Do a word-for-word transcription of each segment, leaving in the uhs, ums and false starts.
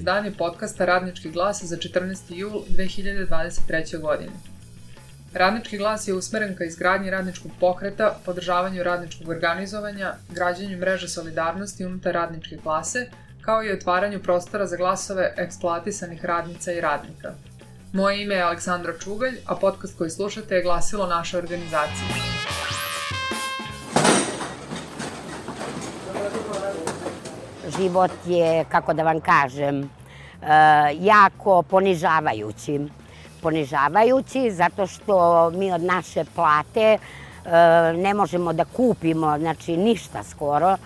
izdanje podcasta Radnički glas za četrnaesti jul dve hiljade dvadeset treće. godine. Radnički glas je usmeren ka izgradnji radničkog pokreta, podržavanju radničkog organizovanja, građenju mreže solidarnosti unutar radničke klase, kao i otvaranju prostora za glasove eksploatisanih radnica i radnika. Moje ime je Aleksandra Čugalj, a podcast koji slušate je glasilo naše organizacije. Život je, kako da vam kažem, jako ponižavajući. Ponižavajući zato što mi od naše plate ne možemo da kupimo, znači ništa skoro.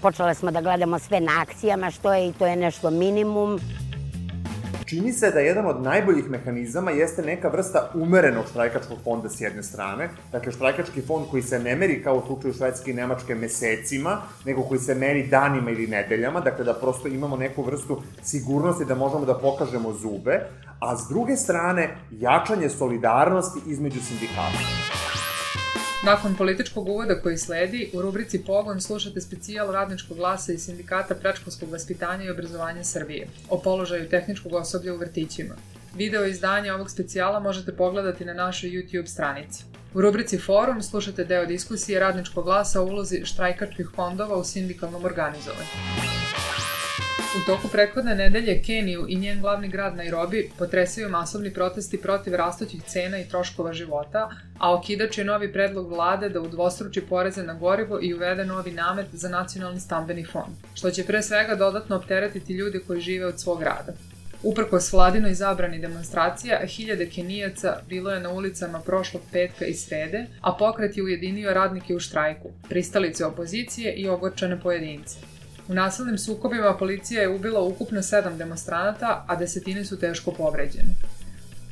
Počele smo da gledamo sve na akcijama, što je i to je nešto minimum. Čini se da jedan od najboljih mehanizama jeste neka vrsta umerenog štrajkačkog fonda s jedne strane. Dakle, štrajkački fond koji se ne meri kao u slučaju Švedske i Nemačke mesecima, nego koji se meri danima ili nedeljama, dakle da prosto imamo neku vrstu sigurnosti da možemo da pokažemo zube, a s druge strane jačanje solidarnosti između sindikata. Nakon političkog uvoda koji sledi, u rubrici Pogon slušate specijal Radničkog glasa i Sindikata predškolskog vaspitanja i obrazovanja Srbije o položaju tehničkog osoblja u vrtićima. Video izdanje ovog specijala možete pogledati na našoj YouTube stranici. U rubrici Forum slušate deo diskusije Radničkog glasa o ulozi štrajkačkih fondova u sindikalnom organizovanju. U toku prethodne nedelje Keniju i njen glavni grad Nairobi potresaju masovni protesti protiv rastućih cena i troškova života, a okidač je novi predlog vlade da udvostruči poreze na gorivo i uvede novi namet za nacionalni stambeni fond, što će pre svega dodatno opteretiti ljude koji žive od svog rada. Uprkos vladinoj zabrani demonstracija, hiljade Kenijaca bilo je na ulicama prošlog petka i srede, a pokret je ujedinio radnike u štrajku, pristalice opozicije i ogorčene pojedince. U nasilnim sukobima policija je ubila ukupno sedam demonstranata, a desetine su teško povređene.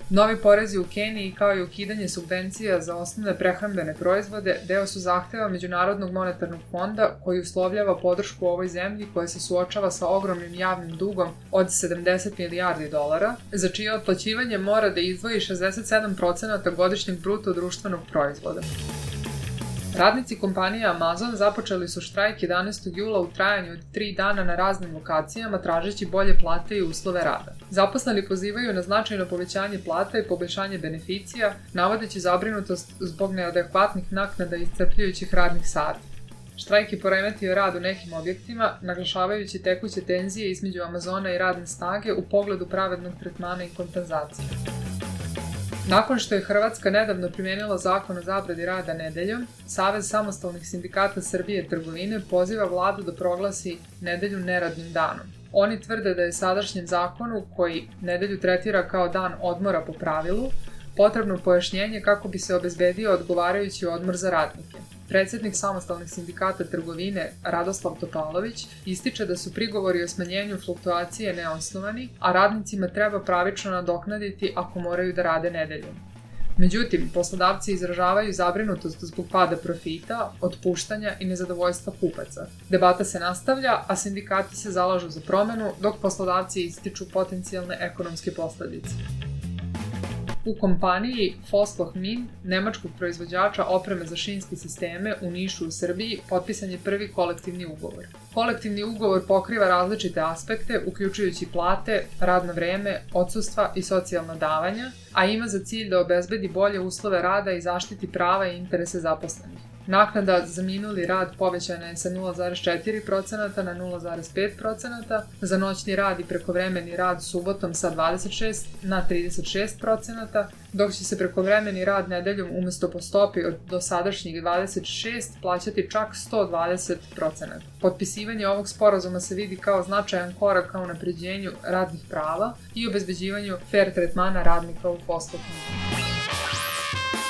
Novi porezi u Keniji, kao i ukidanje subvencija za osnovne prehrambene proizvode, deo su zahteva Međunarodnog monetarnog fonda koji uslovljava podršku ovoj zemlji koja se suočava sa ogromnim javnim dugom od sedamdeset milijardi dolara, za čije otplaćivanje mora da izdvoji šezdeset sedam procenata godišnjeg bruto društvenog proizvoda. Radnici kompanije Amazon započeli su štrajk jedanaestog jula u trajanju od tri dana na raznim lokacijama tražeći bolje plate i uslove rada. Zaposleni pozivaju na značajno povećanje plata i poboljšanje beneficija, navodeći zabrinutost zbog neadekvatnih naknada i iscrpljujućih radnih sati. Štrajk je poremetio rad u nekim objektima, naglašavajući tekuće tenzije između Amazona i radne snage u pogledu pravednog tretmana i kompenzacije. Nakon što je Hrvatska nedavno primenila zakon o zabrani rada nedeljom, Savez samostalnih sindikata Srbije i trgovine poziva vladu da proglasi nedelju neradnim danom. Oni tvrde da je sadašnjem zakonu, koji nedelju tretira kao dan odmora po pravilu, potrebno pojašnjenje kako bi se obezbedio odgovarajući odmor za radnike. Predsednik samostalnih sindikata trgovine Radoslav Topalović ističe da su prigovori o smanjenju fluktuacije neosnovani, a radnicima treba pravično nadoknaditi ako moraju da rade nedeljom. Međutim, poslodavci izražavaju zabrinutost zbog pada profita, otpuštanja i nezadovoljstva kupaca. Debata se nastavlja, a sindikati se zalažu za promenu, dok poslodavci ističu potencijalne ekonomske posledice. U kompaniji Vossloh-Min, nemačkog proizvođača opreme za šinske sisteme u Nišu u Srbiji, potpisan je prvi kolektivni ugovor. Kolektivni ugovor pokriva različite aspekte, uključujući plate, radno vreme, odsustva i socijalna davanja, a ima za cilj da obezbedi bolje uslove rada i zaštiti prava i interese zaposlenih. Naknada za minuli rad povećana je sa nula zarez četiri procenta na nula zarez pet procenta, za noćni rad i prekovremeni rad subotom sa dvadeset šest na trideset šest procenta, dok će se prekovremeni rad nedeljom umesto po stopi od dosadašnjih dvadeset šest plaćati čak sto dvadeset procenta. Potpisivanje ovog sporazuma se vidi kao značajan korak ka unapređenju radnih prava i obezbeđivanju fer tretmana radnika u Vossloh-Minu.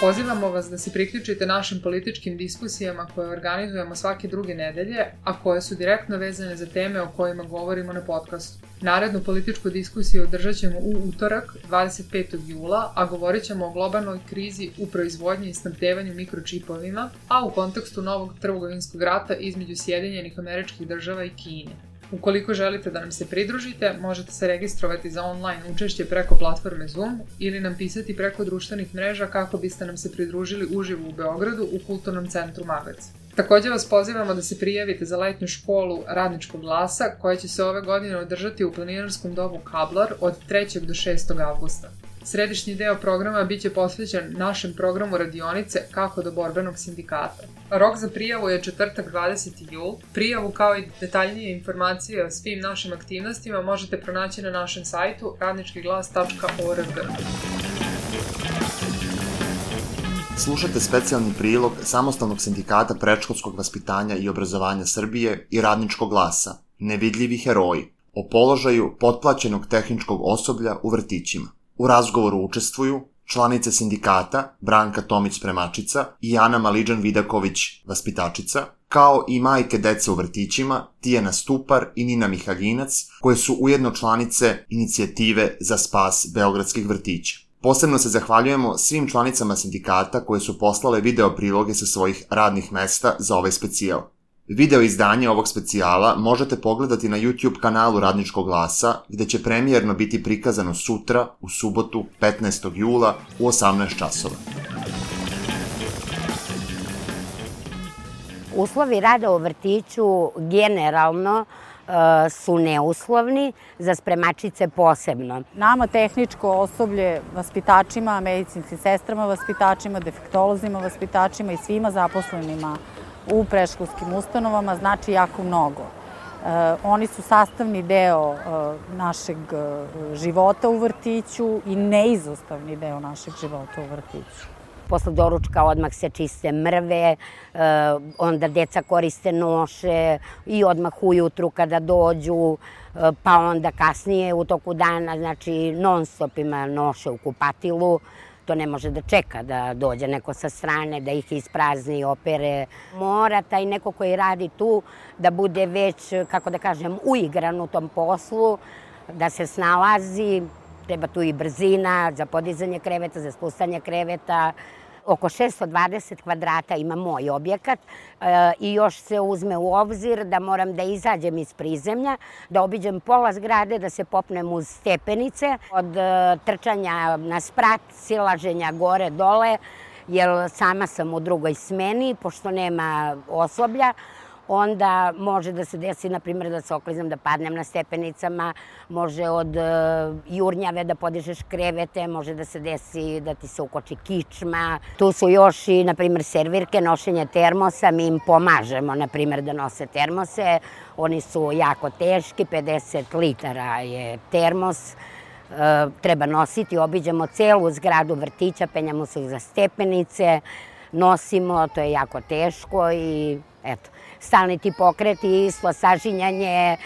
Pozivamo vas da se priključite našim političkim diskusijama koje organizujemo svake druge nedelje, a koje su direktno vezane za teme o kojima govorimo na podcastu. Narednu političku diskusiju održat ćemo u utorak, dvadeset petog jula, a govorit ćemo o globalnoj krizi u proizvodnji i snabdevanju mikročipovima, a u kontekstu novog trgovinskog rata između Sjedinjenih Američkih Država i Kine. Ukoliko želite da nam se pridružite, možete se registrovati za online učešće preko platforme Zoom ili nam pisati preko društvenih mreža kako biste nam se pridružili uživo u Beogradu u Kulturnom centru Magac. Takođe vas pozivamo da se prijavite za letnju školu Radničkog glasa koja će se ove godine održati u planinarskom domu Kablar od trećeg do šestog avgusta. Središnji deo programa biće posvećen našem programu radionice Kako do borbenog sindikata. Rok za prijavu je četvrtak dvadeseti jul. Prijavu kao i detaljnije informacije o svim našim aktivnostima možete pronaći na našem sajtu radnički glas tačka org. Slušajte specijalni prilog Samostalnog sindikata predškolskog vaspitanja i obrazovanja Srbije i Radničkog glasa, Nevidljivi heroji, o položaju potplaćenog tehničkog osoblja u vrtićima. U razgovoru učestvuju članice sindikata Branka Tomić-Spremačica i Ana Maliđan-Vidaković, vaspitačica, kao i majke dece u vrtićima Tijana Stupar i Nina Mihaljinac, koje su ujedno članice inicijative za spas beogradskih vrtića. Posebno se zahvaljujemo svim članicama sindikata koje su poslale video priloge sa svojih radnih mesta za ovaj specijal. Video izdanje ovog specijala možete pogledati na YouTube kanalu Radničkog glasa, gde će premijerno biti prikazano sutra, u subotu, petnaestog jula, u osamnaest časova. Uslovi rada u vrtiću generalno su neuslovni, za spremačice posebno. Nama tehničko osoblje, vaspitačima, medicinskim sestrama, vaspitačima, defektolozima, vaspitačima i svima zaposlenima u predškolskim ustanovama znači jako mnogo. Oni su sastavni deo našeg života u vrtiću i neizostavni deo našeg života u vrtiću. Posle doručka odmah se čiste mrve, onda deca koriste noše i odmah ujutru kada dođu, pa onda kasnije u toku dana, znači non stop ima noše u kupatilu. To ne može da čeka da dođe neko sa strane, da ih isprazni, opere. Mora taj neko koji radi tu da bude već, kako da kažem, uigran u tom poslu, da se snalazi. Treba tu i brzina za podizanje kreveta, za spustanje kreveta. Oko šesto dvadeset kvadrata ima moj objekat i još se uzme u obzir da moram da izađem iz prizemlja, da obiđem pola zgrade, da se popnem uz stepenice. Od trčanja na sprat, silaženja gore-dole, jer sama sam u drugoj smeni, pošto nema osoblja, onda može da se desi, na primjer, da se oklizam, da padnem na stepenicama, može od jurnjave da podižeš krevete, može da se desi da ti se ukoči kičma. Tu su još i, na primjer, servirke, nošenje termosa, mi im pomažemo, na primjer, da nose termose. Oni su jako teški, pedeset litara je termos. Treba nositi, obiđemo celu zgradu vrtića, penjamo se za stepenice, nosimo, to je jako teško i eto. Stalni ti pokreti, isto sažinjanje,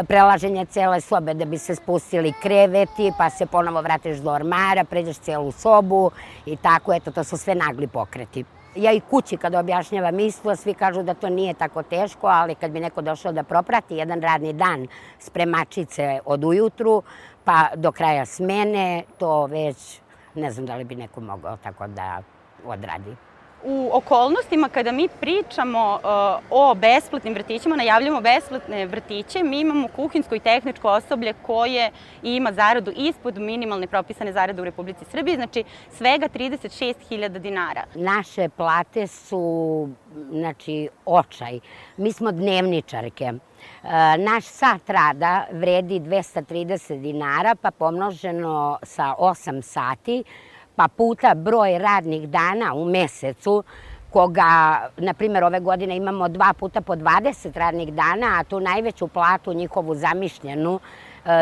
prelaženje cele sobe da bi se spustili kreveti, pa se ponovo vratiš do ormara, pređeš celu sobu i tako, eto, to su sve nagli pokreti. Ja i kući kada objašnjavam isto, svi kažu da to nije tako teško, ali kad bi neko došao da proprati jedan radni dan spremačice od ujutru, pa do kraja smene, to već ne znam da li bi neko mogao tako da odradi. U okolnostima kada mi pričamo o besplatnim vrtićima, najavljamo besplatne vrtiće, mi imamo kuhinjsko i tehničko osoblje koje ima zaradu ispod minimalne propisane zarade u Republici Srbiji, znači svega trideset šest hiljada dinara. Naše plate su, znači, očaj. Mi smo dnevničarke. Naš sat rada vredi dvesta trideset dinara, pa pomnoženo sa osam sati, pa puta broj radnih dana u mesecu, koga, na primjer, ove godine imamo dva puta po dvadeset radnih dana, a tu najveću platu njihovu zamišljenu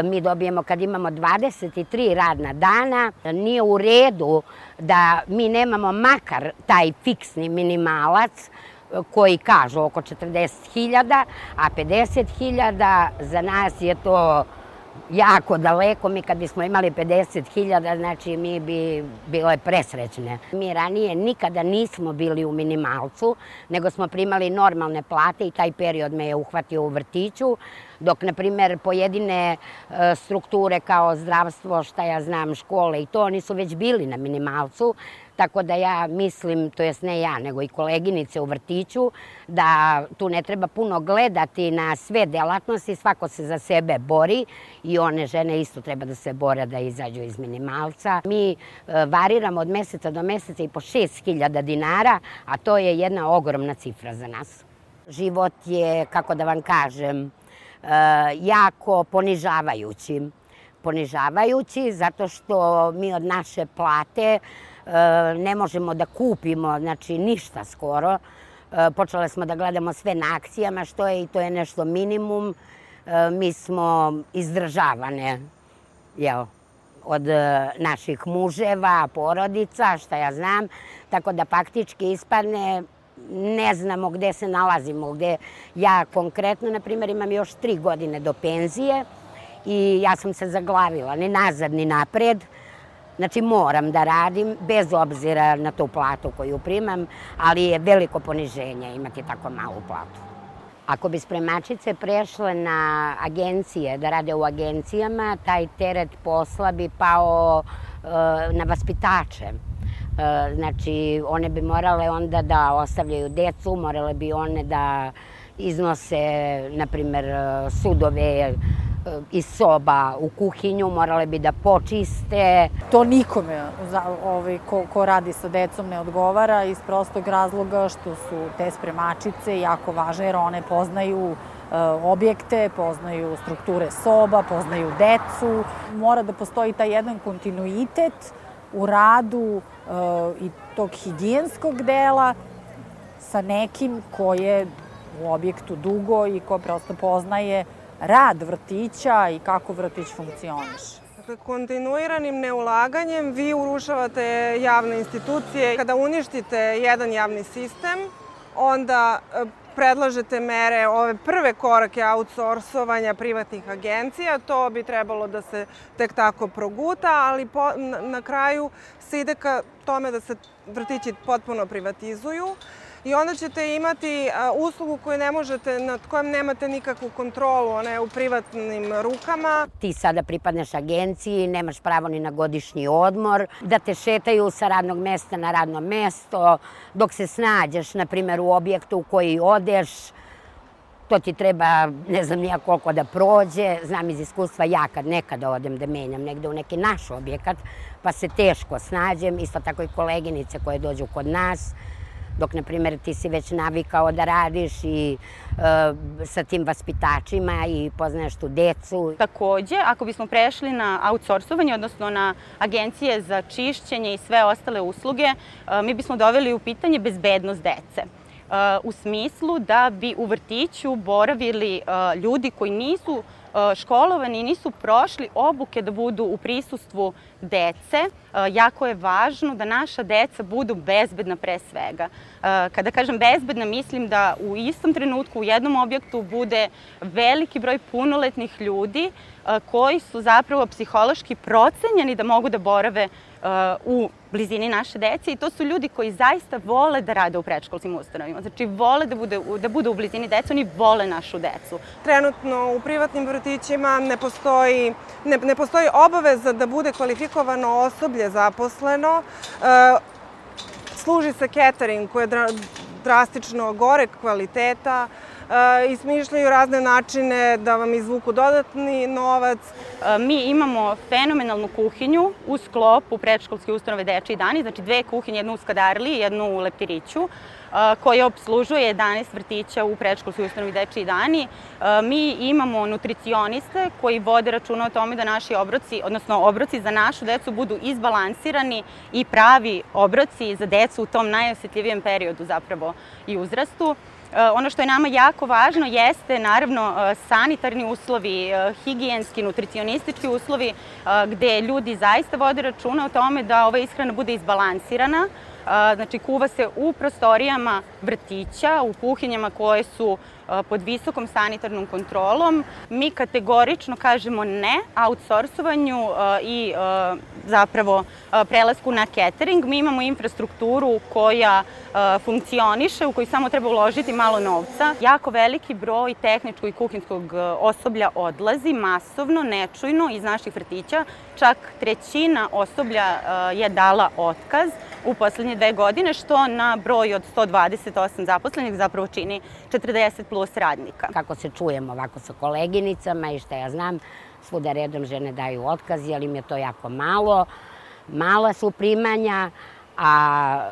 mi dobijemo kad imamo dvadeset tri radna dana. Nije u redu da mi nemamo makar taj fiksni minimalac koji kažu oko četrdeset hiljada, a pedeset hiljada za nas je to jako daleko. Mi kad bismo imali pedeset hiljada, znači mi bi bile presrećne. Mi ranije nikada nismo bili u minimalcu, nego smo primali normalne plate i taj period me je uhvatio u vrtiću, dok, na primjer, pojedine strukture kao zdravstvo, šta ja znam, škole i to, oni su već bili na minimalcu. Tako da ja mislim, to jest ne ja, nego i koleginice u vrtiću, da tu ne treba puno gledati na sve delatnosti, svako se za sebe bori i one žene isto treba da se bore da izađu iz minimalca. Mi variramo od meseca do meseca i po šest hiljada dinara, a to je jedna ogromna cifra za nas. Život je, kako da vam kažem, jako ponižavajući. Ponižavajući zato što mi od naše plate ne možemo da kupimo, znači ništa skoro. Počele smo da gledamo sve na akcijama, što je i to je nešto minimum. Mi smo izdržavane, jel, od naših muževa, porodica, šta ja znam, tako da faktički ispadne ne znamo gde se nalazimo, gde ja konkretno, na primjer, imam još tri godine do penzije i ja sam se zaglavila, ni nazad, ni napred. Znači moram da radim, bez obzira na tu platu koju primam, ali je veliko poniženje imati tako malu platu. Ako bi spremačice prešle na agencije, da rade u agencijama, taj teret posla bi pao na vaspitače. Znači, one bi morale onda da ostavljaju decu, morale bi one da iznose, na primjer, sudove iz soba u kuhinju, morale bi da počiste. To nikome ko radi sa decom ne odgovara iz prostog razloga što su te spremačice jako važne jer one poznaju objekte, poznaju strukture soba, poznaju decu. Mora da postoji taj jedan kontinuitet u radu i tog higijenskog dela sa nekim ko je u objektu dugo i ko prosto poznaje rad vrtića i kako vrtić funkcioniše. Dakle, kontinuiranim neulaganjem vi urušavate javne institucije. Kada uništite jedan javni sistem, onda predlažete mere, ove prve korake outsourcovanja privatnih agencija. To bi trebalo da se tek tako proguta, ali na kraju se ide ka tome da se vrtići potpuno privatizuju. I onda ćete imati uslugu koju ne možete, nad kojom nemate nikakvu kontrolu, ona je u privatnim rukama. Ti sada pripadneš agenciji, nemaš pravo ni na godišnji odmor, da te šetaju sa radnog mesta na radno mesto, dok se snađeš, na primjer, u objektu u koji odeš, to ti treba, ne znam nija koliko da prođe. Znam iz iskustva, ja kad nekada odem da menjam negde u neki naš objekat, pa se teško snađem, isto tako i koleginice koje dođu kod nas, dok, na primjer, ti si već navikao da radiš i sa tim vaspitačima i poznaješ tu decu. Takođe, ako bismo prešli na outsourcovanje, odnosno na agencije za čišćenje i sve ostale usluge, mi bismo doveli u pitanje bezbednost dece. U smislu da bi u vrtiću boravili ljudi koji nisu školovani i nisu prošli obuke da budu u prisustvu dece. Jako je važno da naša deca budu bezbedna pre svega. Kada kažem bezbedna, mislim da u istom trenutku u jednom objektu bude veliki broj punoletnih ljudi koji su zapravo psihološki procenjeni da mogu da borave u blizini naše dece i to su ljudi koji zaista vole da rade u predškolskim ustanovima. Znači, vole da, bude, da budu u blizini deca, oni vole našu decu. Trenutno u privatnim vrtićima ne postoji, ne, ne postoji obaveza da bude kvalifikovano osoblje zaposleno. E, služi se catering koji je dra, drastično goreg kvaliteta, i smišljaju razne načine da vam izvuku dodatni novac. Mi imamo fenomenalnu kuhinju u sklopu predškolske ustanove Dečiji dani, znači dve kuhinje, jednu u Skadarliji i jednu u Leptiriću, koja obslužuje jedanaest vrtića u predškolskoj ustanovi Dečiji dani. Mi imamo nutricioniste koji vode računa o tome da naši obroci, odnosno obroci za našu decu budu izbalansirani i pravi obroci za decu u tom najosetljivijem periodu zapravo i uzrastu. Ono što je nama jako važno jeste, naravno, sanitarni uslovi, higijenski, nutricionistički uslovi, gde ljudi zaista vode računa o tome da ova ishrana bude izbalansirana. Znači, kuva se u prostorijama vrtića, u kuhinjama koje su pod visokom sanitarnom kontrolom. Mi kategorično kažemo ne outsourcovanju i zapravo prelasku na catering. Mi imamo infrastrukturu koja funkcioniše, u kojoj samo treba uložiti malo novca. Jako veliki broj tehničkog i kuhinskog osoblja odlazi masovno, nečujno iz naših vrtića. Čak trećina osoblja je dala otkaz u poslednje dve godine, što na broj od sto dvadeset osam zaposlenih zapravo čini četrdeset plus radnika. Kako se čujemo ovako sa koleginicama i šta ja znam, svuda redom žene daju otkaz, jer im je to jako malo. Mala su primanja, a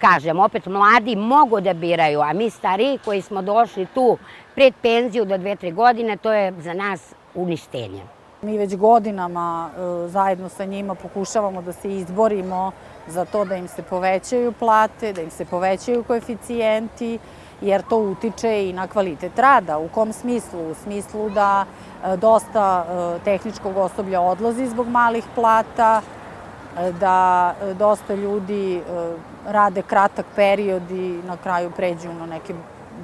kažem, opet mladi mogu da biraju, a mi stariji koji smo došli tu pred penziju do dve, tri godine, to je za nas uništenje. Mi već godinama e, zajedno sa njima pokušavamo da se izborimo za to da im se povećaju plate, da im se povećaju koeficijenti, jer to utiče i na kvalitet rada. U kom smislu? U smislu da e, dosta e, tehničkog osoblja odlazi zbog malih plata, e, da e, dosta ljudi e, rade kratak period i na kraju pređu na neke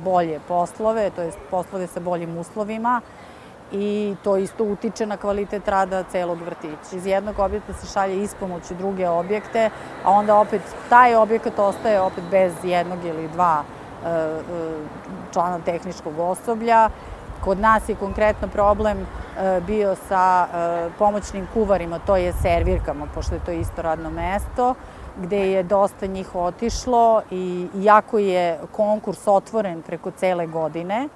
bolje poslove, to je poslove sa boljim uslovima, i to isto utiče na kvalitet rada celog vrtića. Iz jednog objekta se šalje ispomoć u druge objekte, a onda opet taj objekat ostaje opet bez jednog ili dva e, e, člana tehničkog osoblja. Kod nas je konkretno problem e, bio sa e, pomoćnim kuvarima, to je servirkama, pošto je to isto radno mesto, gde je dosta njih otišlo i iako je konkurs otvoren preko cele godine,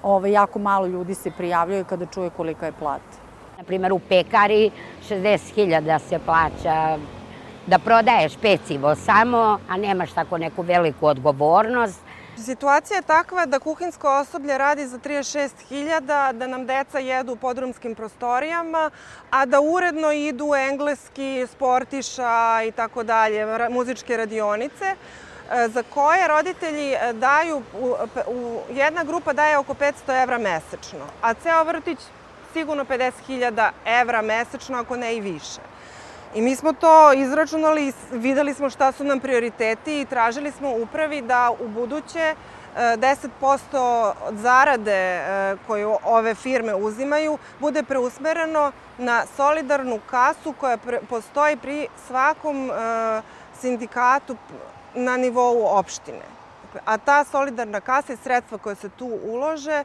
Ove, jako malo ljudi se prijavljaju kada čuje kolika je plata. Naprimer, u pekari šezdeset hiljada se plaća da prodaješ pecivo samo, a nemaš tako neku veliku odgovornost. Situacija je takva da kuhinsko osoblje radi za trideset šest hiljada, da nam deca jedu u podrumskim prostorijama, a da uredno idu engleski, sportiša i tako dalje, muzičke radionice, za koje roditelji daju, jedna grupa daje oko petsto evra mesečno, a ceo vrtić sigurno pedeset hiljada evra mesečno, ako ne i više. I mi smo to izračunali i videli smo šta su nam prioriteti i tražili smo upravi da u buduće deset posto od zarade koju ove firme uzimaju bude preusmereno na solidarnu kasu koja postoji pri svakom sindikatu na nivou opštine. A ta solidarna kasa i sredstva koje se tu ulože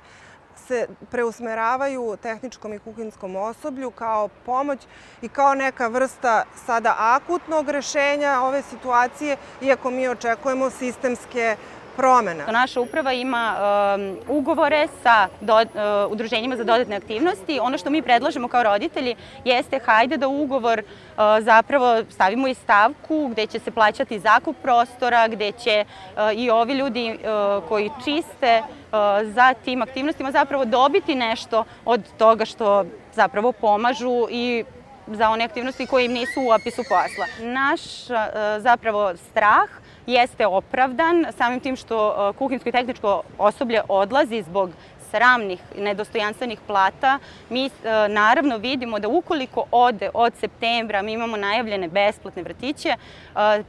se preusmeravaju tehničkom i kuhinskom osoblju kao pomoć i kao neka vrsta sada akutnog rešenja ove situacije, iako mi očekujemo sistemske promene. Naša uprava ima um, ugovore sa do, uh, udruženjima za dodatne aktivnosti. Ono što mi predlažemo kao roditelji jeste hajde da u ugovor uh, zapravo stavimo i stavku gde će se plaćati zakup prostora, gde će uh, i ovi ljudi uh, koji čiste uh, za tim aktivnostima zapravo dobiti nešto od toga što zapravo pomažu i za one aktivnosti koje im nisu u opisu posla. Naš uh, zapravo strah jeste opravdan samim tim što kuhinsko i tehničko osoblje odlazi zbog sramnih i nedostojanstvenih plata. Mi naravno vidimo da ukoliko ode od septembra, mi imamo najavljene besplatne vrtiće,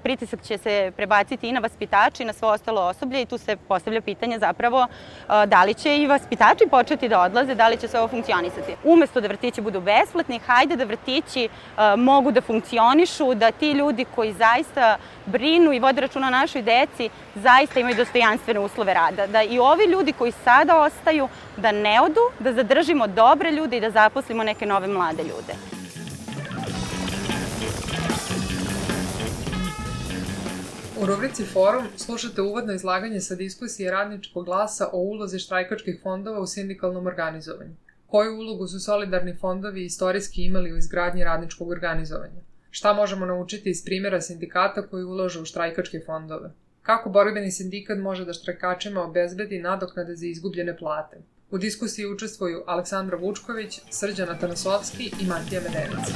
pritisak će se prebaciti i na vaspitače i na svo ostalo osoblje i tu se postavlja pitanje zapravo da li će i vaspitači početi da odlaze, da li će sve ovo funkcionisati. Umesto da vrtići budu besplatni, hajde da vrtići mogu da funkcionišu, da ti ljudi koji zaista brinu i vode računa o našoj deci zaista imaju dostojanstvene uslove rada. Da i ovi ljudi koji sada ostaju, da ne odu, da zadržimo dobre ljude i da zaposlimo neke nove mlade ljude. U rubrici Forum slušate uvodno izlaganje sa diskusije Radničkog glasa o ulozi štrajkačkih fondova u sindikalnom organizovanju. Koju ulogu su solidarni fondovi istorijski imali u izgradnji radničkog organizovanja? Šta možemo naučiti iz primjera sindikata koji ulažu u štrajkačke fondove? Kako borbeni sindikat može da štrajkačima obezbedi nadoknade za izgubljene plate? U diskusiji učestvuju Aleksandra Vučković, Srđan Atanasovski i Matija Medenica.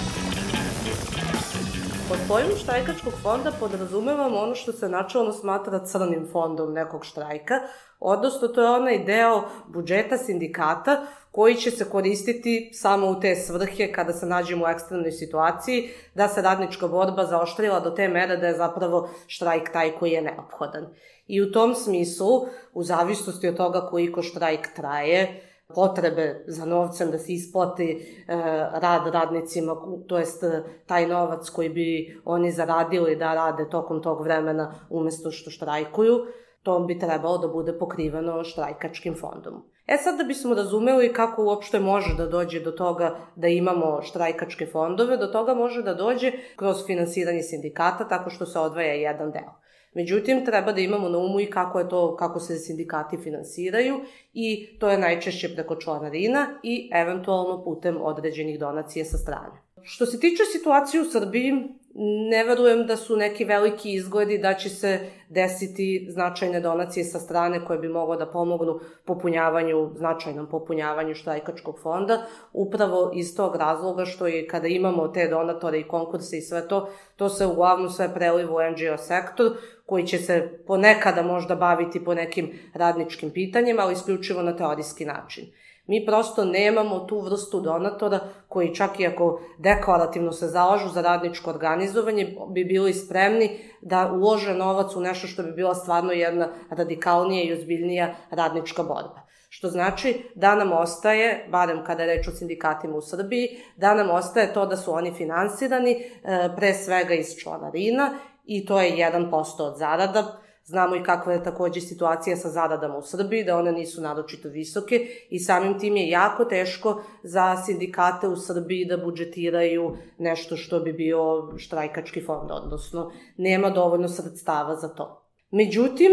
Pod pojmom štrajkačkog fonda podrazumevamo ono što se načelno smatra crnim fondom nekog štrajka, odnosno to je onaj deo budžeta sindikata koji će se koristiti samo u te svrhe kada se nađemo u ekstremnoj situaciji, da se radnička borba zaoštrila do te mere da je zapravo štrajk taj koji je neophodan. I u tom smislu, u zavisnosti od toga koliko štrajk traje, potrebe za novcem da se isplati e, rad radnicima, to jest taj novac koji bi oni zaradili da rade tokom tog vremena umesto što štrajkuju, to bi trebalo da bude pokriveno štrajkačkim fondom. E sad da bismo razumeli kako uopšte može da dođe do toga da imamo štrajkačke fondove, do toga može da dođe kroz finansiranje sindikata tako što se odvaja jedan deo. Međutim, treba da imamo na umu i kako je to, kako se sindikati finansiraju i to je najčešće preko članarina i eventualno putem određenih donacija sa strane. Što se tiče situacije u Srbiji, ne verujem da su neki veliki izgledi da će se desiti značajne donacije sa strane koje bi moglo da pomognu popunjavanju, značajnom popunjavanju štrajkačkog fonda, upravo iz tog razloga što je kada imamo te donatore i konkurse i sve to, to se uglavnom sve preliva u en dži o sektor, koji će se ponekada možda baviti po nekim radničkim pitanjima, ali isključivo na teorijski način. Mi prosto nemamo tu vrstu donatora koji čak i ako deklarativno se zalažu za radničko organizovanje bi bili spremni da ulože novac u nešto što bi bila stvarno jedna radikalnija i ozbiljnija radnička borba. Što znači da nam ostaje, barem kada je reč o sindikatima u Srbiji, da nam ostaje to da su oni finansirani pre svega iz članarina i to je jedan posto od zarada. Znamo i kakva je takođe situacija sa zaradama u Srbiji, da one nisu naročito visoke i samim tim je jako teško za sindikate u Srbiji da budžetiraju nešto što bi bio štrajkački fond, odnosno nema dovoljno sredstava za to. Međutim,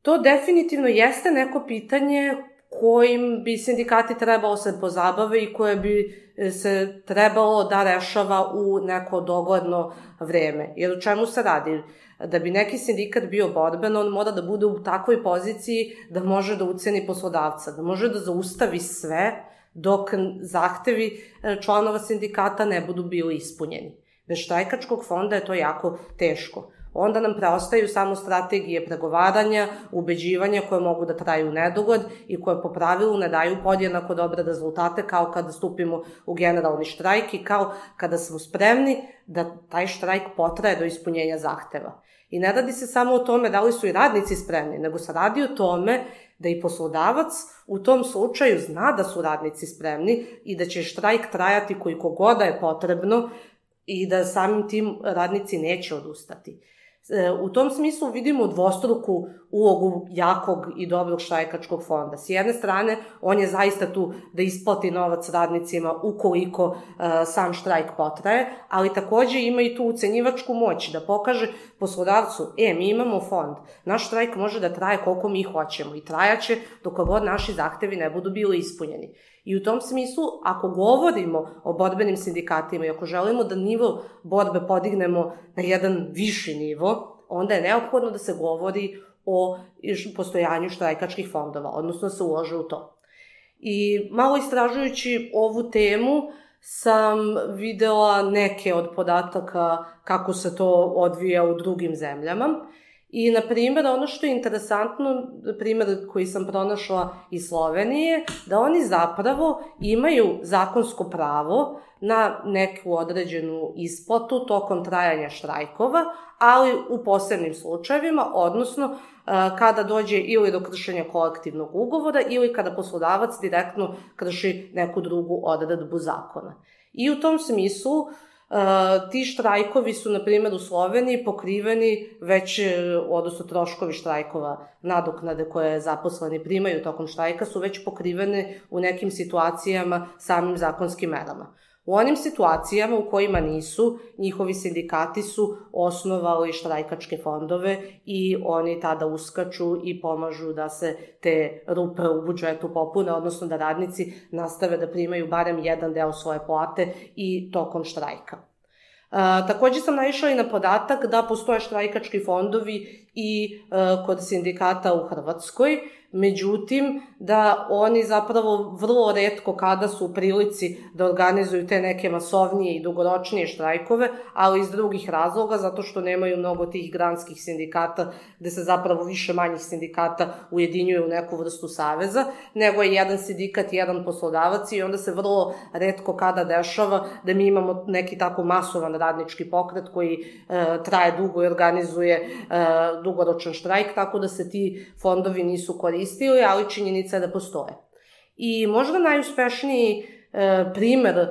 to definitivno jeste neko pitanje kojim bi sindikati trebalo se pozabave i koje bi se trebalo da rešava u neko dogledno vreme. Jer o čemu se radi? Da bi neki sindikat bio borben, on mora da bude u takvoj poziciji da može da uceni poslodavca, da može da zaustavi sve dok zahtevi članova sindikata ne budu bili ispunjeni. Bez štrajkačkog fonda je to jako teško. Onda nam preostaju samo strategije pregovaranja, ubeđivanja koje mogu da traju u nedogled i koje po pravilu ne daju podjednako dobre rezultate kao kada stupimo u generalni štrajk i kao kada smo spremni da taj štrajk potraje do ispunjenja zahteva. I ne radi se samo o tome da li su i radnici spremni, nego se radi o tome da i poslodavac u tom slučaju zna da su radnici spremni i da će štrajk trajati koliko god je potrebno i da samim tim radnici neće odustati. U tom smislu vidimo dvostruku ulogu jakog i dobrog štrajkačkog fonda. S jedne strane, on je zaista tu da isplati novac radnicima ukoliko uh, sam štrajk potraje, ali takođe ima i tu ucenjivačku moć da pokaže poslodavcu, e, mi imamo fond, naš štrajk može da traje koliko mi hoćemo i trajaće dok god naši zahtevi ne budu bili ispunjeni. I u tom smislu, ako govorimo o borbenim sindikatima i ako želimo da nivo borbe podignemo na jedan viši nivo, onda je neophodno da se govori o postojanju štrajkačkih fondova, odnosno da se ulože u to. I malo istražujući ovu temu sam videla neke od podataka kako se to odvija u drugim zemljama. I, na primjer, ono što je interesantno, primjer koji sam pronašla iz Slovenije, da oni zapravo imaju zakonsko pravo na neku određenu isplatu tokom trajanja štrajkova, ali u posebnim slučajevima, odnosno kada dođe ili do kršenja kolektivnog ugovora ili kada poslodavac direktno krši neku drugu odredbu zakona. I u tom smislu Uh, ti štrajkovi su, na primjer, u Sloveniji pokriveni već, odnosno troškovi štrajkova, nadoknade koje zaposleni primaju tokom štrajka su već pokrivene u nekim situacijama samim zakonskim merama. U onim situacijama u kojima nisu, njihovi sindikati su osnovali štrajkačke fondove i oni tada uskaču i pomažu da se te rupe u budžetu popune, odnosno da radnici nastave da primaju barem jedan deo svoje plate i tokom štrajka. A, takođe sam naišla i na podatak da postoje štrajkački fondovi i a, kod sindikata u Hrvatskoj, međutim da oni zapravo vrlo retko kada su u prilici da organizuju te neke masovnije i dugoročnije štrajkove, ali iz drugih razloga, zato što nemaju mnogo tih granskih sindikata gde se zapravo više manjih sindikata ujedinjuju u neku vrstu saveza, nego je jedan sindikat, jedan poslodavac i onda se vrlo retko kada dešava da mi imamo neki tako masovan radnički pokret koji e, traje dugo i organizuje e, dugoročan štrajk, tako da se ti fondovi nisu koristili, ali činjenica je da postoje. I možda najuspešniji e, primer e,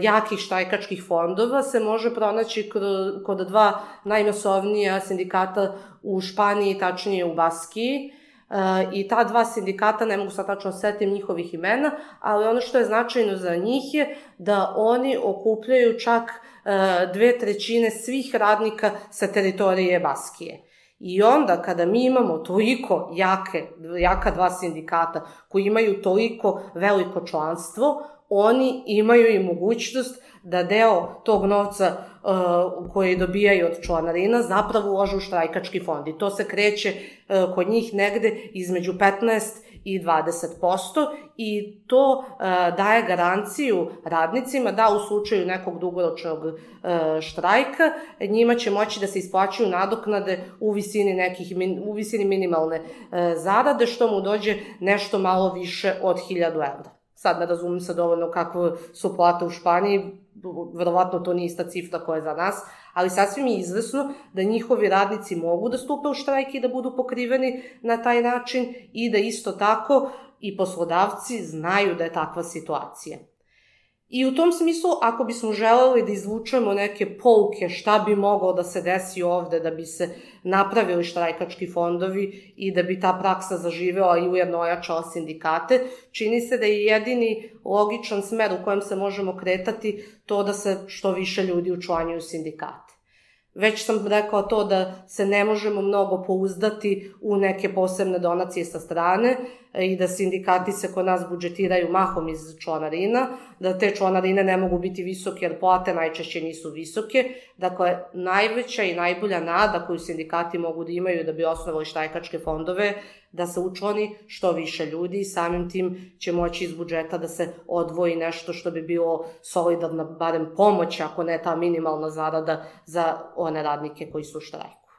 jakih štrajkačkih fondova se može pronaći kod, kod dva najmasovnija sindikata u Španiji, tačnije u Baskiji. Uh, i ta dva sindikata, ne mogu sad tačno setim njihovih imena, ali ono što je značajno za njih je da oni okupljaju čak uh, dve trećine svih radnika sa teritorije Baskije. I onda kada mi imamo toliko jake, jaka dva sindikata koji imaju toliko veliko članstvo, oni imaju i mogućnost da deo tog novca uh, koji dobijaju od članarina zapravo ulože u štrajkački fond. I to se kreće uh, kod njih negde između petnaest i dvadeset posto i to uh, daje garanciju radnicima da u slučaju nekog dugoročnog uh, štrajka njima će moći da se isplaćuju nadoknade u visini, nekih, u visini minimalne uh, zarade, što mu dođe nešto malo više od hiljadu evra. Sad ne razumem se dovoljno kakve su plate u Španiji, verovatno to nije ista cifra koja je za nas, ali sasvim je izvesno da njihovi radnici mogu da stupe u štrajk i da budu pokriveni na taj način i da isto tako i poslodavci znaju da je takva situacija. I u tom smislu, ako bismo želeli da izvučemo neke pouke šta bi moglo da se desi ovde da bi se napravili štrajkački fondovi i da bi ta praksa zaživela i ujedno ojačala sindikate, čini se da je jedini logičan smer u kojem se možemo kretati to da se što više ljudi učlanjuju u sindikate. Već sam rekla to da se ne možemo mnogo pouzdati u neke posebne donacije sa strane i da sindikati se kod nas budžetiraju mahom iz članarina, da te članarine ne mogu biti visoke jer plate najčešće nisu visoke. Dakle, najveća i najbolja nada koju sindikati mogu da imaju da bi osnovali štrajkačke fondove, da se učlani što više ljudi i samim tim će moći iz budžeta da se odvoji nešto što bi bilo solidarna barem pomoć, ako ne ta minimalna zarada za one radnike koji su u štrajku.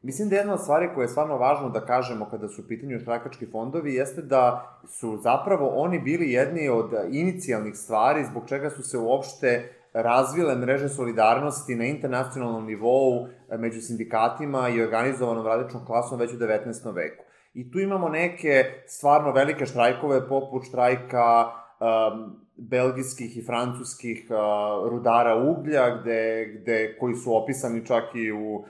Mislim da jedna od stvari koja je stvarno važno da kažemo kada su u pitanju štrajkački fondovi jeste da su zapravo oni bili jedni od inicijalnih stvari zbog čega su se uopšte razvile mreže solidarnosti na internacionalnom nivou među sindikatima i organizovanom radničkom klasom već u devetnaestom veku. I tu imamo neke stvarno velike štrajkove poput štrajka um, belgijskih i francuskih uh, rudara uglja, gde, gde, koji su opisani čak i u um,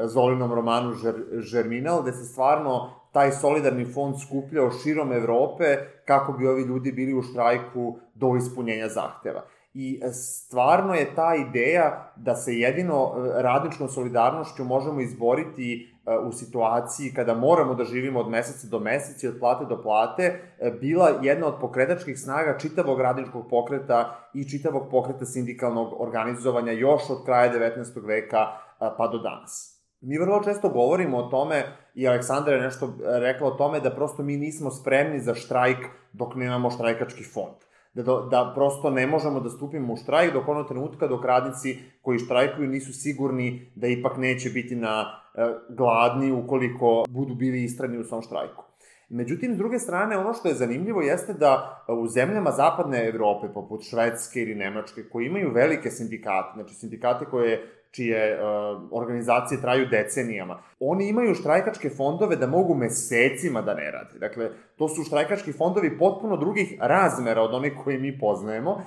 Zolinom romanu Žer, Žerminal, gde se stvarno taj solidarni fond skupljao širom Evrope kako bi ovi ljudi bili u štrajku do ispunjenja zahteva. I stvarno je ta ideja da se jedino radničkom solidarnošću možemo izboriti u situaciji kada moramo da živimo od meseca do meseca i od plate do plate, bila jedna od pokretačkih snaga čitavog radničkog pokreta i čitavog pokreta sindikalnog organizovanja još od kraja devetnaestog veka pa do danas. Mi vrlo često govorimo o tome, i Aleksandra je nešto rekla o tome, da prosto mi nismo spremni za štrajk dok nemamo štrajkački fond. Da, da prosto ne možemo da stupimo u štrajk dok onog trenutka dok radnici koji štrajkuju nisu sigurni da ipak neće biti na e, gladni ukoliko budu bili istrajni u svom štrajku. Međutim, s druge strane, ono što je zanimljivo jeste da u zemljama zapadne Evrope, poput Švedske ili Nemačke, koji imaju velike sindikate, znači sindikate koje čije uh, organizacije traju decenijama. Oni imaju štrajkačke fondove da mogu mesecima da ne rade. Dakle, to su štrajkački fondovi potpuno drugih razmera od onih koje mi poznajemo, uh,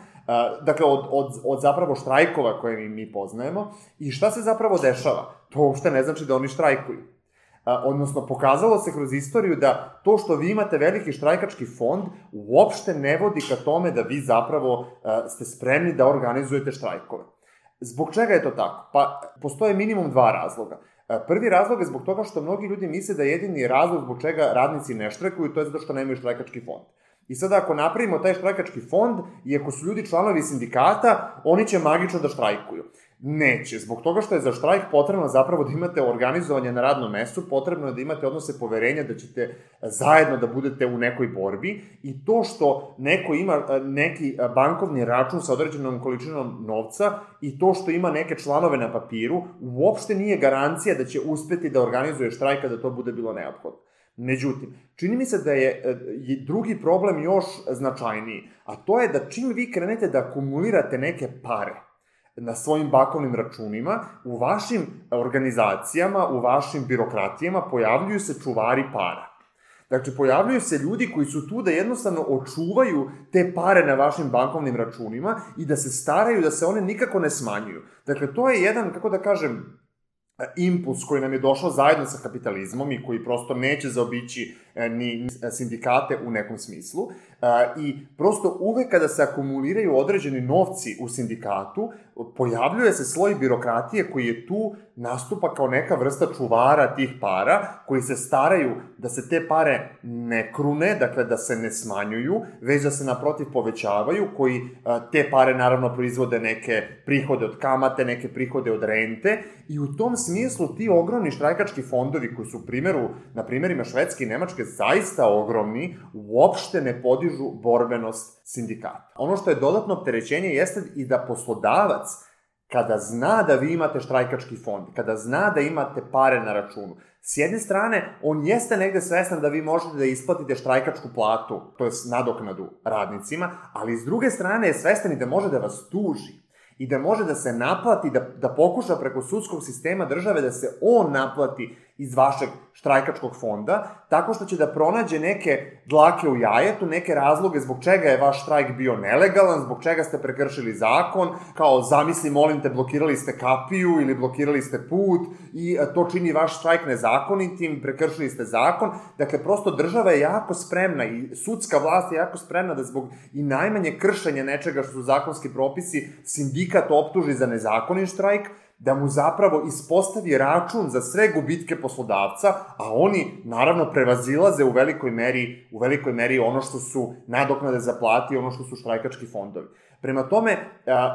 dakle, od, od, od zapravo štrajkova koje mi, mi poznajemo. I šta se zapravo dešava? To uopšte ne znači da oni štrajkuju. Uh, odnosno, pokazalo se kroz istoriju da to što vi imate veliki štrajkački fond uopšte ne vodi ka tome da vi zapravo uh, ste spremni da organizujete štrajkove. Zbog čega je to tako? Pa, postoje minimum dva razloga. Prvi razlog je zbog toga što mnogi ljudi misle da jedini razlog zbog čega radnici ne štrajkuju, to je zato što nemaju štrajkački fond. I sada ako napravimo taj štrajkački fond i ako su ljudi članovi sindikata, oni će magično da štrajkuju. Neće, zbog toga što je za štrajk potrebno zapravo da imate organizovanje na radnom mestu, potrebno je da imate odnose poverenja da ćete zajedno da budete u nekoj borbi i to što neko ima neki bankovni račun sa određenom količinom novca i to što ima neke članove na papiru, uopšte nije garancija da će uspeti da organizuje štrajk kada to bude bilo neophodno. Međutim, čini mi se da je drugi problem još značajniji, a to je da čim vi krenete da akumulirate neke pare na svojim bankovnim računima, u vašim organizacijama, u vašim birokratijama pojavljuju se čuvari para. Dakle, pojavljuju se ljudi koji su tu da jednostavno očuvaju te pare na vašim bankovnim računima i da se staraju da se one nikako ne smanjuju. Dakle, to je jedan, kako da kažem, impuls koji nam je došao zajedno sa kapitalizmom i koji prosto neće zaobići ni sindikate u nekom smislu. I prosto uvek kada se akumuliraju određeni novci u sindikatu, pojavljuje se sloj birokratije koji je tu, nastupa kao neka vrsta čuvara tih para, koji se staraju da se te pare ne krune, dakle da se ne smanjuju, već da se naprotiv povećavaju, koji te pare naravno proizvode neke prihode od kamate, neke prihode od rente, i u tom smislu ti ogromni štrajkački fondovi koji su u primjeru, na primjerima Švedske i Nemačke zaista ogromni, uopšte ne podižu borbenost sindikata. Ono što je dodatno opterećenje jeste i da poslodavac, kada zna da vi imate štrajkački fond, kada zna da imate pare na računu, s jedne strane, on jeste negde svestan da vi možete da isplatite štrajkačku platu, to je nadoknadu radnicima, ali s druge strane je svestan i da može da vas tuži i da može da se naplati, da, da pokuša preko sudskog sistema države da se on naplati iz vašeg štrajkačkog fonda, tako što će da pronađe neke dlake u jajetu, neke razloge zbog čega je vaš štrajk bio nelegalan, zbog čega ste prekršili zakon, kao zamisli, molim te, blokirali ste kapiju ili blokirali ste put i to čini vaš štrajk nezakonitim, prekršili ste zakon. Dakle, prosto država je jako spremna i sudska vlast je jako spremna da zbog i najmanje kršenja nečega što su zakonski propisi sindikat optuži za nezakonit štrajk, da mu zapravo ispostavi račun za sve gubitke poslodavca, a oni naravno prevazilaze u velikoj meri, u velikoj meri ono što su nadoknade za plate i ono što su štrajkački fondovi. Prema tome,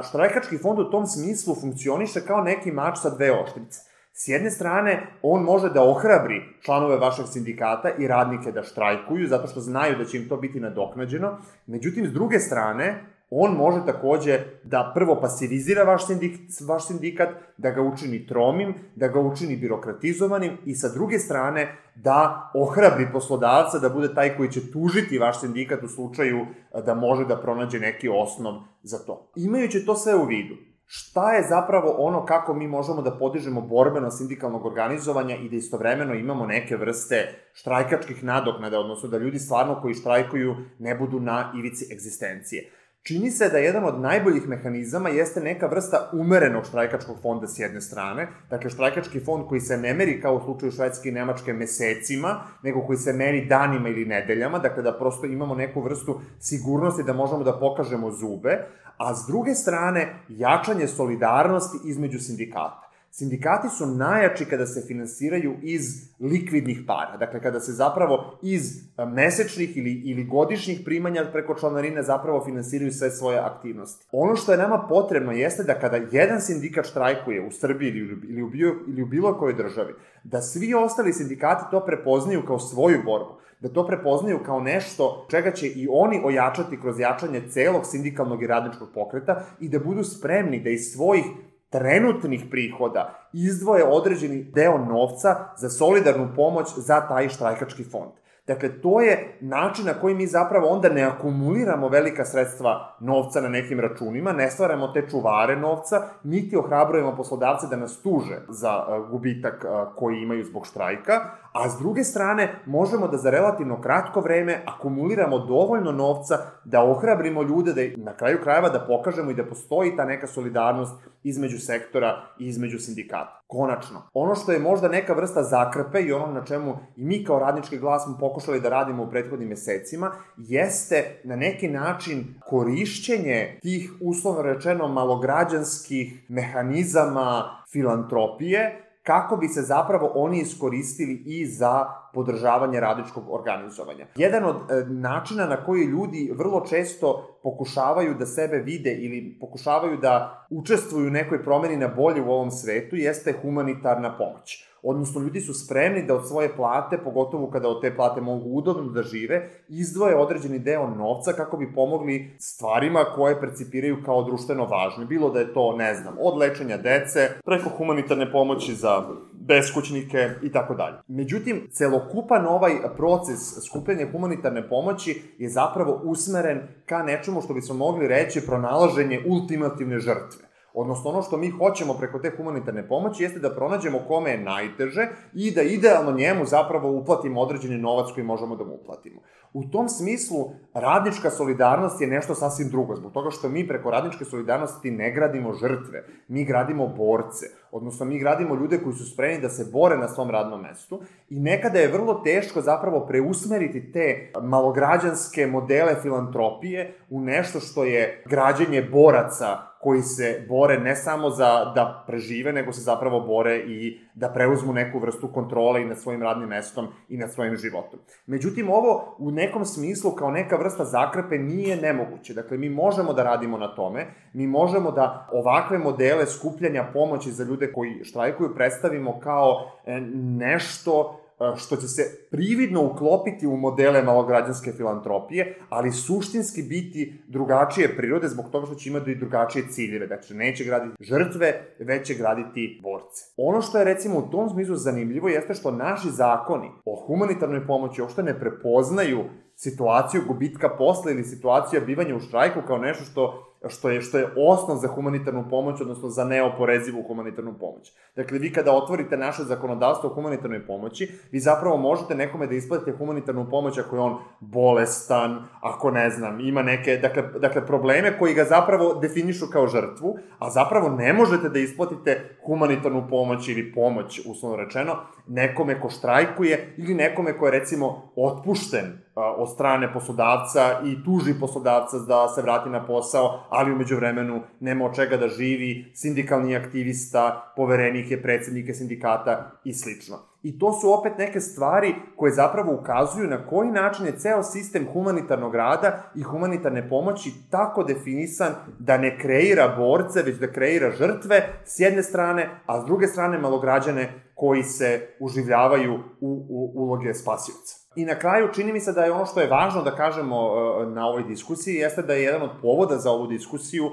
štrajkački fond u tom smislu funkcioniše kao neki mač sa dve oštrice. S jedne strane, on može da ohrabri članove vašeg sindikata i radnike da štrajkuju, zato što znaju da će im to biti nadoknađeno. Međutim, s druge strane, on može takođe da prvo pasivizira vaš, sindik, vaš sindikat, da ga učini tromim, da ga učini birokratizovanim i sa druge strane da ohrabri poslodavca da bude taj koji će tužiti vaš sindikat u slučaju da može da pronađe neki osnov za to. Imajući to sve u vidu, šta je zapravo ono kako mi možemo da podižemo borbeno sindikalnog organizovanja i da istovremeno imamo neke vrste štrajkačkih nadoknada, odnosno da ljudi stvarno koji štrajkuju ne budu na ivici egzistencije. Čini se da jedan od najboljih mehanizama jeste neka vrsta umerenog štrajkačkog fonda s jedne strane, dakle štrajkački fond koji se ne meri kao u slučaju Švedske i Nemačke mesecima, nego koji se meri danima ili nedeljama, dakle da prosto imamo neku vrstu sigurnosti da možemo da pokažemo zube, a s druge strane jačanje solidarnosti između sindikata. Sindikati su najjači kada se finansiraju iz likvidnih para, dakle kada se zapravo iz mesečnih ili, ili godišnjih primanja preko članarine zapravo finansiraju sve svoje aktivnosti. Ono što je nama potrebno jeste da kada jedan sindikat štrajkuje u Srbiji ili, ili, u, bio, ili u bilo kojoj državi, da svi ostali sindikati to prepoznaju kao svoju borbu, da to prepoznaju kao nešto čega će i oni ojačati kroz jačanje celog sindikalnog i radničkog pokreta i da budu spremni da iz svojih trenutnih prihoda izdvoje određeni deo novca za solidarnu pomoć za taj štrajkački fond. Dakle, to je način na koji mi zapravo onda ne akumuliramo velika sredstva novca na nekim računima, ne stvaramo te čuvare novca, niti ohrabrujemo poslodavce da nas tuže za gubitak koji imaju zbog štrajka, a s druge strane možemo da za relativno kratko vreme akumuliramo dovoljno novca da ohrabrimo ljude, da na kraju krajeva da pokažemo i da postoji ta neka solidarnost između sektora i između sindikata. Konačno, ono što je možda neka vrsta zakrpe i ono na čemu i mi kao Radnički glas smo pokušali da radimo u prethodnim mesecima, jeste na neki način korišćenje tih, uslovno rečeno, malograđanskih mehanizama filantropije, kako bi se zapravo oni iskoristili i za podržavanje radničkog organizovanja. Jedan od e, načina na koji ljudi vrlo često pokušavaju da sebe vide ili pokušavaju da učestvuju u nekoj promeni na bolje u ovom svetu jeste humanitarna pomoć. Odnosno, ljudi su spremni da od svoje plate, pogotovo kada od te plate mogu udobno da žive, izdvoje određeni deo novca kako bi pomogli stvarima koje percipiraju kao društveno važne. Bilo da je to, ne znam, od lečenja dece, preko humanitarne pomoći za beskućnike i tako dalje. Međutim, celokupan ovaj proces skupljanja humanitarne pomoći je zapravo usmeren ka nečemu što bismo mogli reći pronalaženje ultimativne žrtve. Odnosno, ono što mi hoćemo preko te humanitarne pomoći jeste da pronađemo kome je najteže i da idealno njemu zapravo uplatimo određeni novac koji možemo da mu uplatimo. U tom smislu, radnička solidarnost je nešto sasvim drugo, zbog toga što mi preko radničke solidarnosti ne gradimo žrtve, mi gradimo borce. Odnosno, mi gradimo ljude koji su spremni da se bore na svom radnom mestu i nekada je vrlo teško zapravo preusmeriti te malograđanske modele filantropije u nešto što je građenje boraca koji se bore ne samo za da prežive, nego se zapravo bore i da preuzmu neku vrstu kontrole i nad svojim radnim mestom i nad svojim životom. Međutim, ovo u nekom smislu kao neka vrsta zakrpe nije nemoguće. Dakle, mi možemo da radimo na tome, mi možemo da ovakve modele skupljanja pomoći za ljude koji štrajkuju predstavimo kao nešto što će se prividno uklopiti u modele malograđanske filantropije, ali suštinski biti drugačije prirode zbog toga što će imati i drugačije ciljeve. Dakle, neće graditi žrtve, već će graditi borce. Ono što je recimo u tom smislu zanimljivo jeste što naši zakoni o humanitarnoj pomoći uopšte ne prepoznaju situaciju gubitka posla ili situaciju bivanja u štrajku kao nešto što što je, što je osnov za humanitarnu pomoć, odnosno za neoporezivu humanitarnu pomoć. Dakle, vi kada otvorite naše zakonodavstvo o humanitarnoj pomoći, vi zapravo možete nekome da isplatite humanitarnu pomoć ako je on bolestan, ako ne znam, ima neke, dakle, dakle probleme koji ga zapravo definišu kao žrtvu, a zapravo ne možete da isplatite humanitarnu pomoć ili pomoć, uslovno rečeno, nekome ko štrajkuje ili nekome ko je recimo otpušten od strane poslodavca i tuži poslodavca da se vrati na posao, ali umeđu vremenu nema od čega da živi, sindikalni aktivista, poverenik je predsednike sindikata i slično. I to su opet neke stvari koje zapravo ukazuju na koji način je ceo sistem humanitarnog rada i humanitarne pomoći tako definisan da ne kreira borce, već da kreira žrtve s jedne strane, a s druge strane malograđane koji se uživljavaju u, u uloge spasioca. I na kraju čini mi se da je ono što je važno da kažemo na ovoj diskusiji jeste da je jedan od povoda za ovu diskusiju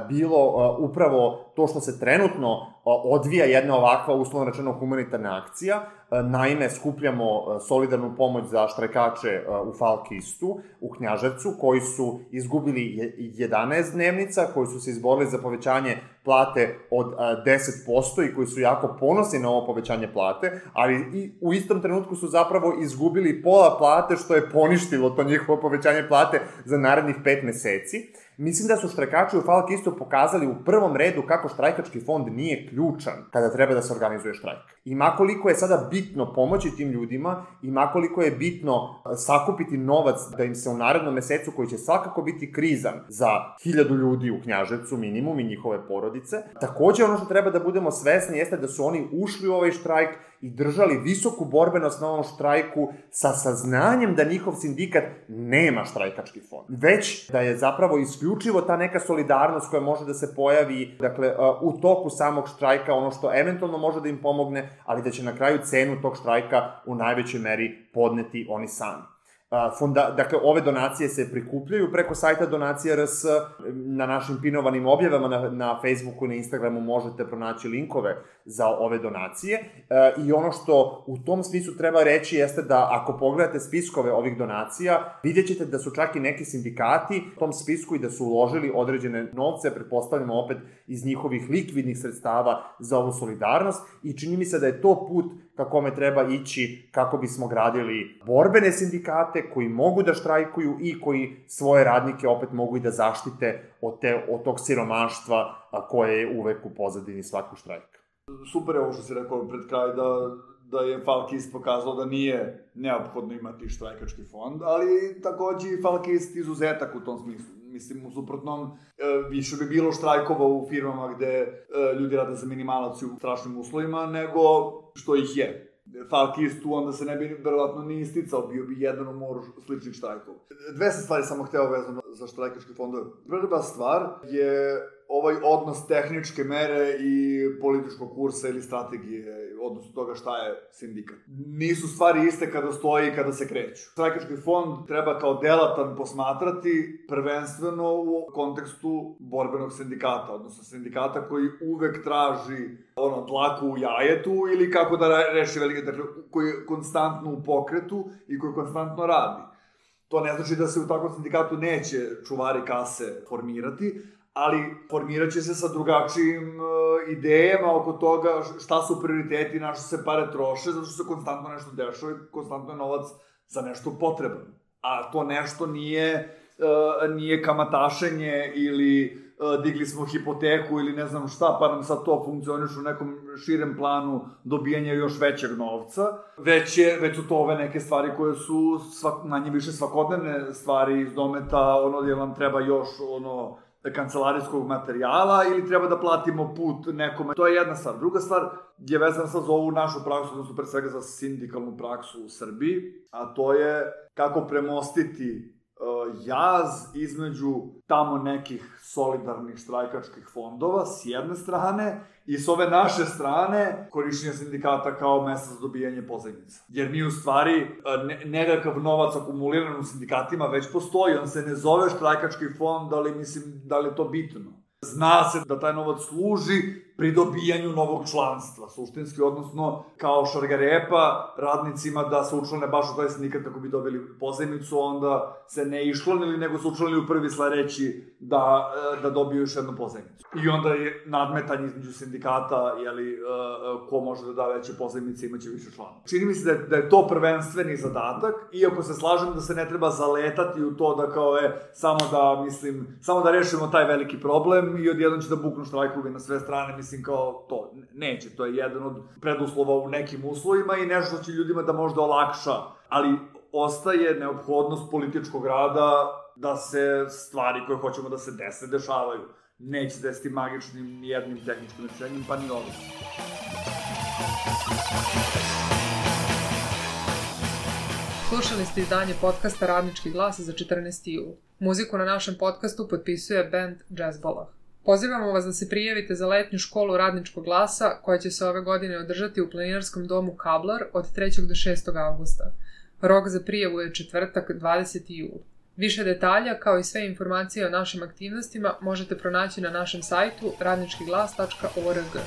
bilo upravo to što se trenutno odvija jedna ovakva, uslovno rečeno, humanitarna akcija. Naime, skupljamo solidarnu pomoć za štrajkače u Falkistu, u Knjaževcu, koji su izgubili jedanaest dnevnica, koji su se izborili za povećanje plate od deset posto i koji su jako ponosni na ovo povećanje plate, ali i u istom trenutku su zapravo izgubili pola plate, što je poništilo to njihovo povećanje plate za narednih pet meseci. Mislim da su štrajkači u Falkistu pokazali u prvom redu kako štrajkački fond nije ključan kada treba da se organizuje štrajk. I makoliko je sada bitno pomoći tim ljudima, i makoliko je bitno sakupiti novac da im se u narednom mesecu, koji će svakako biti krizan za hiljadu ljudi u Knjaževcu minimum i njihove porodice, takođe ono što treba da budemo svesni jeste da su oni ušli u ovaj štrajk i držali visoku borbenost na ovom štrajku sa saznanjem da njihov sindikat nema štrajkački fond. Već da je zapravo isključivo ta neka solidarnost koja može da se pojavi, dakle, u toku samog štrajka, ono što eventualno može da im pomogne, ali da će na kraju cenu tog štrajka u najvećoj meri podneti oni sami. Fonda, dakle, ove donacije se prikupljaju preko sajta Donacija R S, na našim pinovanim objavama na, na Facebooku i na Instagramu možete pronaći linkove za ove donacije i ono što u tom smislu treba reći jeste da ako pogledate spiskove ovih donacija, vidjet ćete da su čak i neki sindikati u tom spisku i da su uložili određene novce, pretpostavljamo opet iz njihovih likvidnih sredstava za ovu solidarnost i čini mi se da je to put ka kome treba ići kako bismo gradili borbene sindikate koji mogu da štrajkuju i koji svoje radnike opet mogu i da zaštite od, te, od tog siromaštva koje je uvek u pozadini svakog štrajka. Super je ovo što si rekao pred kraj da, da je Falkist pokazao da nije neophodno imati štrajkački fond, ali takođe i Falkist izuzetak u tom smislu. Mislim, u suprotnom, više bi bilo štrajkova u firmama gde ljudi rade za minimalac u strašnim uslovima, nego što ih je. Falkist tu onda se ne bi verovatno ni isticao, bio bi jedan u moru sličnih štrajkova. Dve se stvari samo hteo vezano za štrajkačke fondove. Prva stvar je ovaj odnos tehničke mere i političkog kursa ili strategije, odnosno toga šta je sindikat. Nisu stvari iste kada stoji i kada se kreću. Štrajkački fond treba kao delatan posmatrati prvenstveno u kontekstu borbenog sindikata, odnosno sindikata koji uvek traži ono, dlaku u jajetu ili kako da reši velike, dakle, koji je konstantno u pokretu i koji konstantno radi. To ne znači da se u takvom sindikatu neće čuvari kase formirati, ali formirat će se sa drugačijim uh, idejama oko toga šta su prioriteti, na što se pare troše, zato što se konstantno nešto dešava i konstantno je novac za nešto potreban. A to nešto nije, uh, nije kamatašenje ili digli smo hipoteku ili ne znam šta, pa nam sad to funkcioniš u nekom širem planu dobijanja još većeg novca, već, je, već su to ove neke stvari koje su svak, manje više svakodnevne stvari iz dometa, ono gdje nam treba još ono kancelarijskog materijala ili treba da platimo put nekome. To je jedna stvar. Druga stvar je vezana sad za ovu našu praksu, odnosno pre svega za sindikalnu praksu u Srbiji, a to je kako premostiti jaz između tamo nekih solidarnih štrajkačkih fondova s jedne strane i s ove naše strane korišćenja sindikata kao mesta za dobijanje pozajmica. Jer mi u stvari ne, nekakav novac akumuliran u sindikatima već postoji, on se ne zove štrajkački fond, ali mislim da li je to bitno. Zna se da taj novac služi pri dobijanju novog članstva, suštinski, odnosno kao šargarepa radnicima da se učlane baš u taj sindikat kako bi dobili pozajmicu, onda se ne iščlanili, nego su učlanili u prvi sledeći da, da dobiju još jednu pozajmicu. I onda je nadmetanje između sindikata, jeli, ko može da da veće pozajmice, imaće više članova. Čini mi se da je, da je to prvenstveni zadatak, iako se slažem da se ne treba zaletati u to da kao je samo da, mislim, samo da rešimo taj veliki problem i odjednom će da buknu štrajkovi na sve strane, mislim kao to. Neće, to je jedan od preduslova u nekim uslovima i nešto što će ljudima da možda olakša, ali ostaje neophodnost političkog rada da se stvari koje hoćemo da se dese, dešavaju. Neće desiti magičnim jednim tehničkim rešenjem, pa ni ovim. Slušali ste izdanje podcasta Radnički glas za četrnaesti jul. Muziku na našem podcastu potpisuje band Jazzbolah. Pozivamo vas da se prijavite za letnju školu Radničkog glasa koja će se ove godine održati u planinarskom domu Kablar od trećeg do šestog avgusta. Rok za prijavu je četvrtak dvadeseti jul. Više detalja kao i sve informacije o našim aktivnostima možete pronaći na našem sajtu radnički glas tačka org.